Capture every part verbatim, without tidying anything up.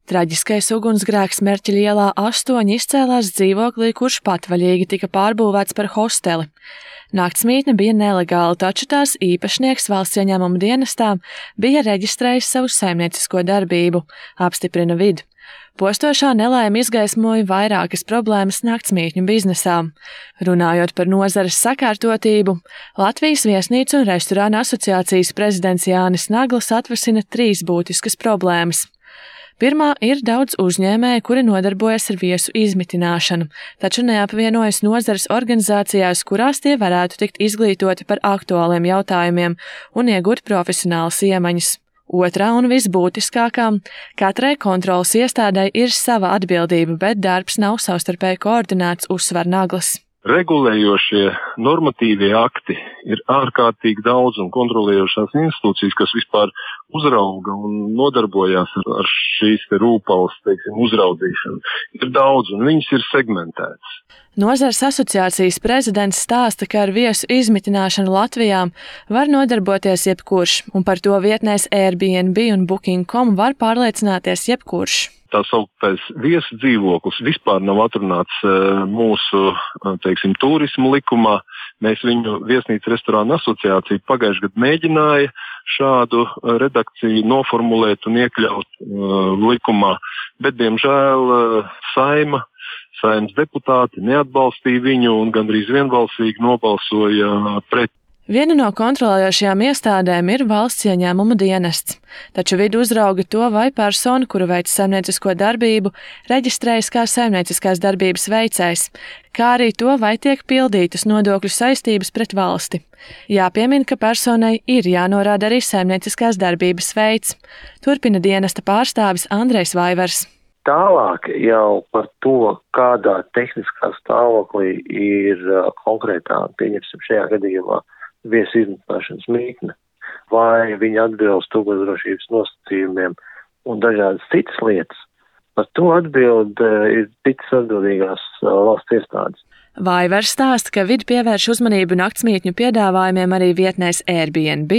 Traģiskais ugunsgrēks Merķeļa ielā astoņi izcēlās dzīvoklī, kurš patvaļīgi tika pārbūvēts par hosteli. Naktsmītne bija nelegāla, taču tās īpašnieks Valsts ieņēmuma dienestā bija reģistrējis savu saimniecisko darbību, apstiprina Vid. Postošā nelaime izgaismoja vairākas problēmas naktsmītņu biznesā. Runājot par nozares sakārtotību, Latvijas viesnīcu un restorānu asociācijas prezidents Jānis Nagls atvasina trīs būtiskas problēmas. Pirmā ir daudz uzņēmēju, kuri nodarbojas ar viesu izmitināšanu, taču neapvienojas nozares organizācijās, kurās tie varētu tikt izglītoti par aktuāliem jautājumiem un iegūt profesionālas iemaņas. Otrā un visbūtiskākā – katrai kontrolas iestādei ir sava atbildība, bet darbs nav savstarpēji koordinēts, uzsver Naglis. Regulējošie normatīvie akti ir ārkārtīgi daudz un kontrolējošās institūcijas, kas vispār uzrauga un nodarbojās ar, ar šīs te rūpals, teiksim, uzraudzīšanu. Ir daudz un viņas ir segmentētas. Nozares asociācijas prezidents stāsta, ka ar viesu izmitināšanu Latvijā var nodarboties jebkurš, un par to vietnēs Airbnb un Booking punkt com var pārliecināties jebkurš. Tā sauktais viesu dzīvoklis vispār nav atrunāts mūsu, teiksim, turismu likumā. Mēs viņu viesnīcu restorānu asociāciju pagājušajā gadā mēģināja šādu redakciju noformulēt un iekļaut uh, likumā, bet, diemžēl, uh, saima, saimas deputāti neatbalstīja viņu un gandrīz vienbalsīgi nobalsoja uh, pret. Viena no kontrolējošajām iestādēm ir Valsts ieņēmuma dienests, taču Vid uzrauga to, vai persona, kura veic saimniecisko darbību, reģistrējas kā saimnieciskās darbības veicējs, kā arī to, vai tiek pildītas nodokļu saistības pret valsti. Jāpiemina, ka personai ir jānorāda arī saimnieciskās darbības veids, turpina dienesta pārstāvis Andrejs Vaivers. Tālāk jau par to, kādā tehniskā stāvoklī ir konkrētā, pieņemsim šajā gadījumā, viesu izmitināšanas mītne, vai viņa atbilst ugunsdrošības nosacījumiem un dažādas citas lietas, par to atbild ir citas atbildīgās valsts iestādes. Vaivers stāsta, ka Vid pievērš uzmanību naktsmītņu piedāvājumiem arī vietnēs Airbnb,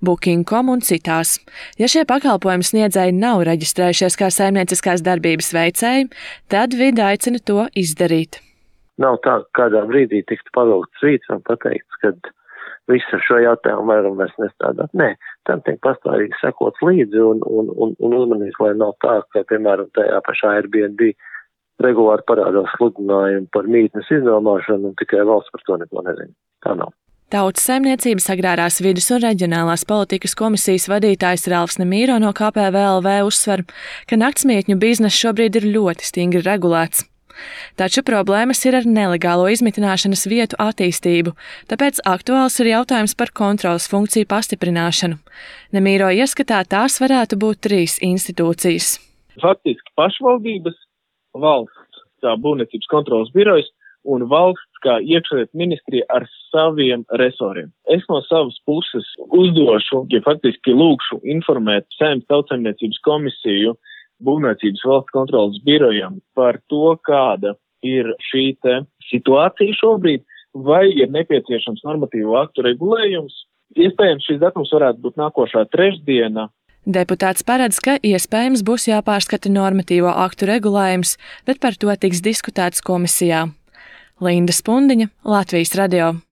Booking punkt com un citās. Ja šie pakalpojumu sniedzēji nav reģistrējušies kā saimnieciskās darbības veicēji, tad Vid aicina to izdarīt. Nav tā, kādā brīdī tiktu pavilkts rīts un pateikts, ka visu šo jautājumu varam vairs nestrādāt. Nē, tam tiek pastāvīgi sekots līdzi un, un, un, un uzmanīgs, lai nav tā, ka, piemēram, tajā pašā Airbnb regulāri parādās sludinājumi par mītnes iznomāšanu un tikai valsts par to neko nezina. Tā nav. Tautas saimniecības agrārās vidus un reģionālās politikas komisijas vadītājs Ralfs Nemīro no K P V L V uzsver, ka naktsmītņu bizness šobrīd ir ļoti stingri regulēts. Taču problēmas ir ar nelegālo izmitināšanas vietu attīstību, tāpēc aktuāls ir jautājums par kontrolas funkciju pastiprināšanu. Nemīro ieskatā tās varētu būt trīs institūcijas. Faktiski pašvaldības, valsts kā būvniecības kontrolas birojas un valsts kā iekšlietu ministrija ar saviem resoriem. Es no savas puses uzdošu, ja faktiski lūkšu informēt Saeimas Tautsaimniecības komisiju, būvniecības valsts kontrolas birojam par to, kāda ir šī te situācija šobrīd, vai ir nepieciešams normatīvo aktu regulējums. Iespējams, šis datums varētu būt nākošā trešdiena. Deputāts paredz, ka iespējams būs jāpārskata normatīvo aktu regulējums, bet par to tiks diskutēts komisijā. Linda Spundiņa, Latvijas radio.